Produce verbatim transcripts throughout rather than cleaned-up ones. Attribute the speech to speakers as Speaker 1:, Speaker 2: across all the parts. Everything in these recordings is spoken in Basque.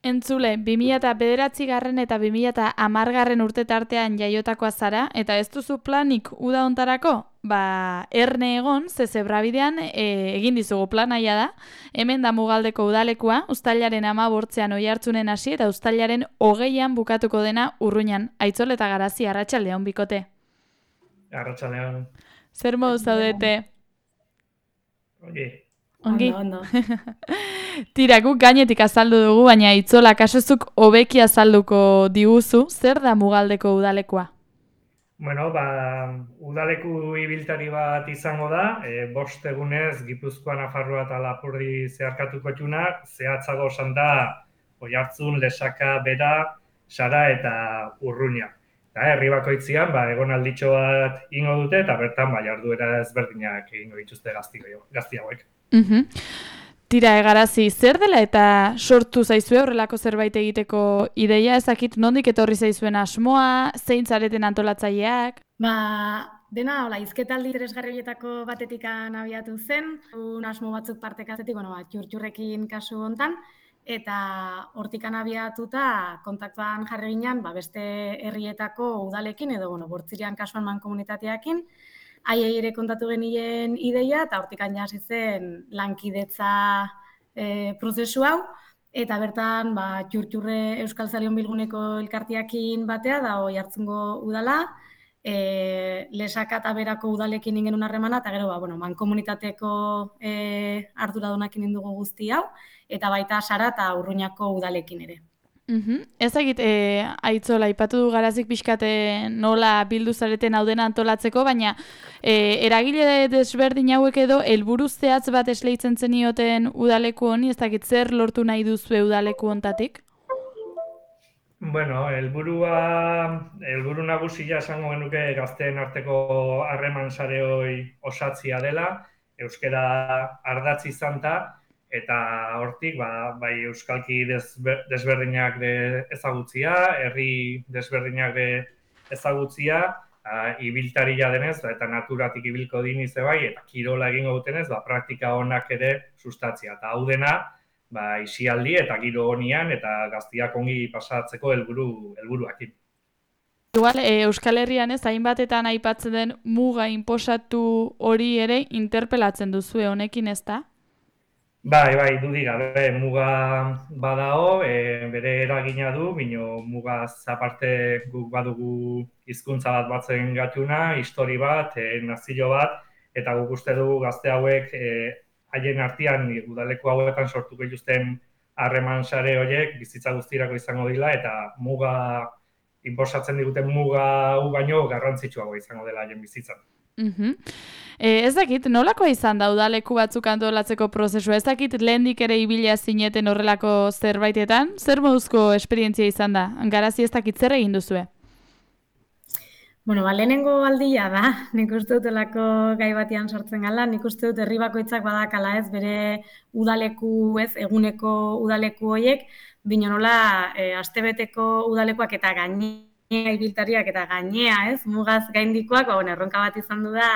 Speaker 1: Entzule, bi mila bederatzigarren eta bi mila hamargarren urte tartean jaiotakoa zara, eta ez duzu planik uda hontarako? Ba, erne egon, ze zebrabidean e, egin dizugu planaia da, hemen da Mugaldeko udalekua, uztailaren hamabortzean oihartzunen hasi eta uztailaren hogeian bukatuko dena Urruñan. Aitzol eta Garazi, arratsaldeon bikote.
Speaker 2: Arratsaldean,
Speaker 1: Zer modu zaudete?
Speaker 2: oye,
Speaker 1: Ongi?
Speaker 3: Ondo, ondo.
Speaker 1: Tira, guk gainetik azaldu dugu, baina Itzola kasozuk hobeki azalduko diguzu, zer da Mugaldeko udalekua?
Speaker 2: bueno, ba, udaleku ibiltari bat izango da, e, bost egunez Gipuzkoa, Nafarroa eta Lapurdi zeharkatuko txunak, zehatzago esan da Oiartzun, Lesaka, Bera, Sara eta Urruña. Eta herri bakoitzean, ba, egonalditxo bat ingo dute, eta bertan ba, jarduera ezberdinak egingo dituzte gazti, gazti hauek.
Speaker 1: Mhm. Tira, Garazi, zer dela eta sortu zaizue horrelako zerbait egiteko ideia, ezakit nondik etorri zaizuen asmoa, zein zareten antolatzaileak?
Speaker 3: Ba, dena, hola, hizketaldi interesgarri horietako batetikan abiatu zen, un asmo batzuk partekazetik, bueno, ba, txurtxurrekin kasu hontan, eta hortikan abiatuta kontaktuan jarri ginen, ba, beste herrietako udalekin, edo, bueno, Bortzirian kasuan mankomunitateakin, haiei ere kontatu genien ideia, eta hortikan ja hasi zen lankidetza e, prozesu hau, eta bertan ba, txurtxurre Euskal Zalion Bilguneko elkartiakin batea, da Oiartzungo udala, e, Lesaka eta Berako udalekin ingen harremana, eta gero ba, bueno, mankomunitateko e, arduradunakin indugu guzti hau, eta baita Sara eta Urruñako udalekin ere.
Speaker 1: Mhm. Ez egit, e, Aitzola, aipatu du Garazik pixkate nola bildu zareten hau dena antolatzeko, baina e, eragile desberdin hauek edo helburu zehatz bat esleitzen zenioten udaleku honi, ez dakit zer lortu nahi duzue udaleku hontatik?
Speaker 2: Bueno, helburua, helburu nagusia esango genuke gazteen arteko harreman sare hori osatzia dela, euskara ardatz izan da, eta hortik ba, bai euskalki desberdinak de ezagutzia, herri desberdinak de ezagutzia, a, ibiltaria denez, eta naturatik ibilko diniz bai, eta kirola egingo dutenez, ba, praktika onak ere sustatzia. Eta hau dena, ba, isialdi eta giro honian eta gaztiak ongi pasatzeko helburu helburuakin.
Speaker 1: Igual, e, Euskal Herrian ez, hainbatetan aipatzen den muga inposatu hori ere interpelatzen duzue honekin, ez da?
Speaker 2: Bai, bai, dudik gabe, muga badao, e, bere eragina du, bino mugaz aparte guk badugu hizkuntza bat batzen gatuna, histori bat, e, nazio bat, eta guk uste dugu gazte hauek e, haien artean udaleku hauetan sortuko dituzten harreman sare horiek bizitza guztirako izango dira, eta muga, inposatzen diguten muga hau baino garrantzitsuago izango dela haien bizitzan.
Speaker 1: Mhm. E, ez dakit, nolakoa izan da udaleku batzuk antolatzeko prozesua? Ez dakit lehendik ere ibila zineten horrelako zerbaitetan? Zer moduzko esperientzia izan da? Garazi ez dakit zer egin duzue?
Speaker 3: Bueno, ba, lehenengo aldia da, nik uste dut elako gai batian sortzen gala, nik uste dut herri bakoitzak badakala ez, bere udaleku ez, eguneko udaleku horiek, bino nola e, astebeteko udalekuak eta gainea ibiltariak eta gainea ez, mugaz gaindikoak, ba, bueno, erronka bat izan du da,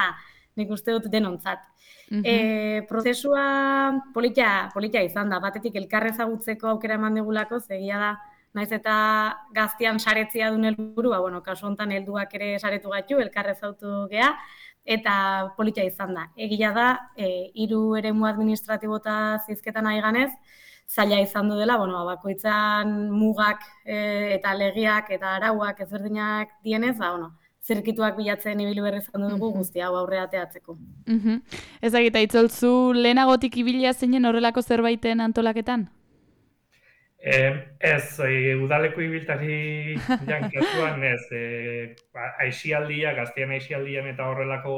Speaker 3: nik uste dut denontzat.
Speaker 1: Mhm.
Speaker 3: E, prozesua politia, politia izan da, batetik elkar ezagutzeko aukera eman digulako, zegia da, naiz eta gaztian saretzia duen helburu, ba, bueno, kasu honetan helduak ere saretu gaitu, elkar ezautu gea, eta politia izan da. Egia da, e, hiru eremu administratibota zizketan ari ganez, zaila izan du dela, bueno, bakoitzan mugak e, eta legiak eta arauak ezberdinak dienez, ba, bueno, zirkituak bilatzen ibili berri izan dugu guzti hau aurre ateatzeko.
Speaker 1: Mhm. Ez dakit, Aitzolzu lehenagotik ibilia zinen horrelako zerbaiten antolaketan?
Speaker 2: Eh, ez, e, udaleko ibiltari jankatuan ez, e, aixialdia, gaztean aixialdian eta horrelako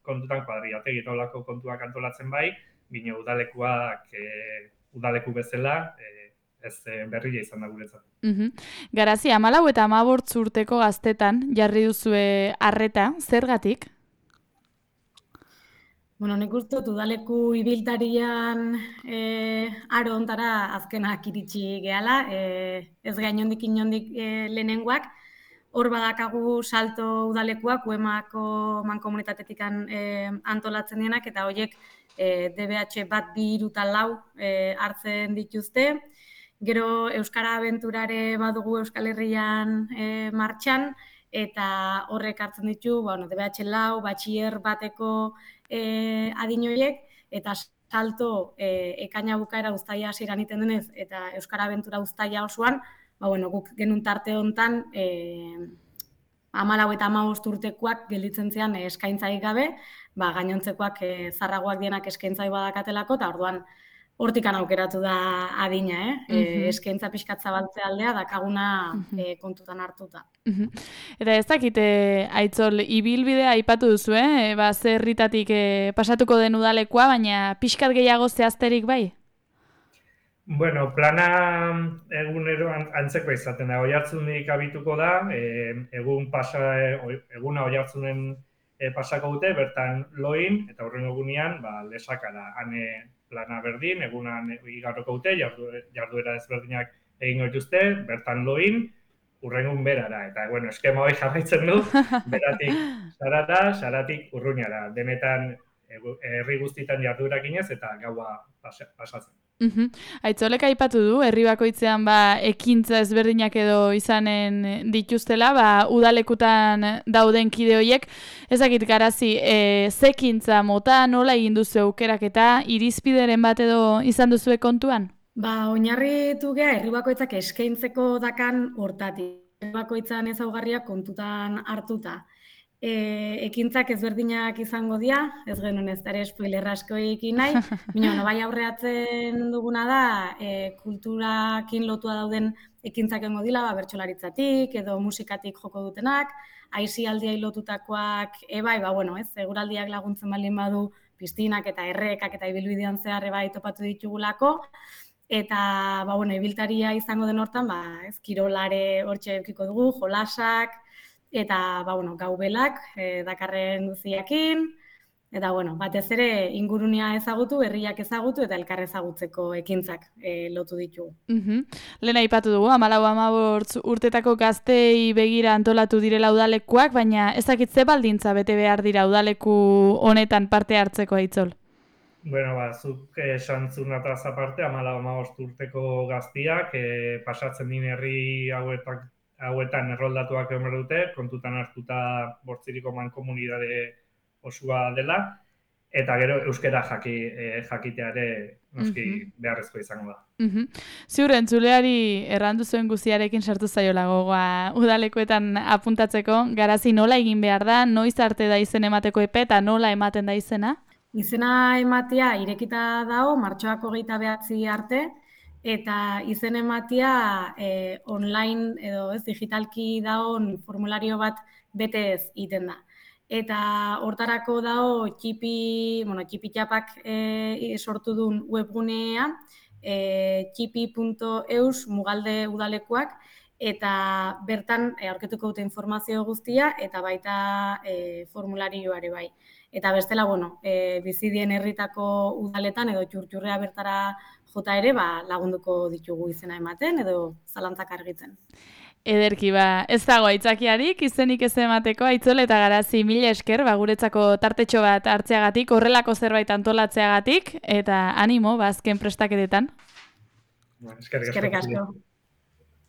Speaker 2: kontutan kuadriategi eta horrelako kontuak antolatzen bai, bino udalekuak e, udaleku bezala e, ez e, berria izan da guretzat.
Speaker 1: Mhm. Garazi, hamalau eta hamabortz urteko gaztetan jarri duzue arreta, zergatik?
Speaker 3: Bueno, nik uste dut udaleku ibiltarian e, aro ontara azkenak iritsi gehala, e, ez gainondik inondik e, lehenengoak, hor badakagu salto udalekuak, uemako mankomunitatetik e, antolatzen dienak, eta horiek e, D B H bat bi hiru eta lau e, hartzen dituzte, Gero Euskara Abenturare badugu Euskal Herrian e, martxan, eta horrek hartzen ditu, bueno, D B H lau, batxier bateko e, adinoiek, eta salto e, ekaina bukaera uztaia hasieran iten denez, eta Euskara Abentura uztaia osoan, ba, bueno, guk genuen tarte hontan, e, hamalau eta hamabost urtekoak gelditzen zian e, eskaintzaik gabe, ba, gainontzekoak e, zarragoak dienak eskaintzai badakatelako, eta orduan hortikan aukeratu da adina, eh? Uh -huh. e, eskaintza pixkat zabaltzea aldea, dakaguna uh -huh. e, kontutan hartuta.
Speaker 1: Uh -huh. Eta ez dakite, Aitzol, ibilbidea aipatu duzu, eh? E, ba, zerritatik e, pasatuko den udalekoa, baina pixkat gehiago zehazterik bai?
Speaker 2: Bueno, plana egunero antzeko izaten da. Oihartzundik abituko da, e, egun pasa, eguna Oihartzunen e, pasako dute, bertan loin, eta horren egunean, ba, lesakara, ane plana berdin, egunan igarroko dute, jarduera ezberdinak egin dituzte, bertan loin, urrengun berara. Eta, bueno, eskema hori jarraitzen du, beratik sarata, saratik urruñara. Denetan, herri guztitan jarduerak inez, eta gaua pasatzen.
Speaker 1: Uhum. Aitzolek aipatu du, herri bakoitzean ba, ekintza ezberdinak edo izanen dituztela, ba, udalekutan dauden kide horiek. Ezakit garazi, e, zekintza mota nola egin duzu aukeraketa, irizpideren bat edo izan duzue kontuan?
Speaker 3: Ba, oinarritu gea, herri bakoitzak eskaintzeko dakan hortatik. Herri bakoitzan ezaugarriak kontutan hartuta. E, ekintzak ezberdinak izango dira, ez genuen ez dara spoiler asko ekin nahi, baina no, bai aurreatzen duguna da, e, kulturakin lotua dauden ekintzak engo dila, ba, bertsolaritzatik edo musikatik joko dutenak, aisialdiai lotutakoak ebai, ba, bueno, ez, eguraldiak laguntzen baldin badu, piztinak eta errekak eta ibilbidean zehar ebai topatu ditugulako, eta, ba, bueno, ibiltaria izango den hortan, ba, ez, kirolare hortxe eukiko dugu, jolasak, eta, ba, bueno, gaubelak, e, dakarren guziakin, eta, bueno, batez ere ingurunea ezagutu, herriak ezagutu, eta elkar ezagutzeko ekintzak e, lotu ditugu.
Speaker 1: Uh-huh. Lehen aipatu dugu, hamalau hamabost urtetako gaztei begira antolatu direla udalekuak, baina ezakitze baldintza bete behar dira udaleku honetan parte hartzeko, Aitzol?
Speaker 2: Bueno, ba, zuk esan zunataz aparte, hamalau hamabost urteko gaztiak, e, pasatzen din herri hauetak hauetan erroldatuak egon dute, kontutan hartuta bortziriko mankomunidade osua dela, eta gero euskara jaki, e, jakiteare noski uh-huh. beharrezko izango da.
Speaker 1: Uh-huh. Ziur, entzuleari errandu zuen guziarekin sartu zaiola gogoa udalekoetan apuntatzeko, garazi nola egin behar da, noiz arte da izen emateko epe eta nola ematen da izena?
Speaker 3: Izena ematea irekita dago, martxoak hogeita behatzi arte, eta izen ematia e, online edo ez digitalki dagoen formulario bat betez egiten da. Eta hortarako dago txipi, bueno, txipi txapak e, sortu duen webgunea, e, txipi puntu eus mugalde udalekuak, eta bertan e, aurketuko dute informazio guztia eta baita e, formularioare bai. Eta bestela, bueno, e, bizidien herritako udaletan edo txurtxurrea bertara jota ere, ba, lagunduko ditugu izena ematen edo zalantzak argitzen.
Speaker 1: Ederki, ba, ez dago aitzakiarik, izenik ez emateko, Aitzol eta Garazi mila esker, ba, guretzako tartetxo bat hartzeagatik, horrelako zerbait antolatzeagatik, eta animo, ba, azken prestaketetan.
Speaker 2: Eskerrik asko.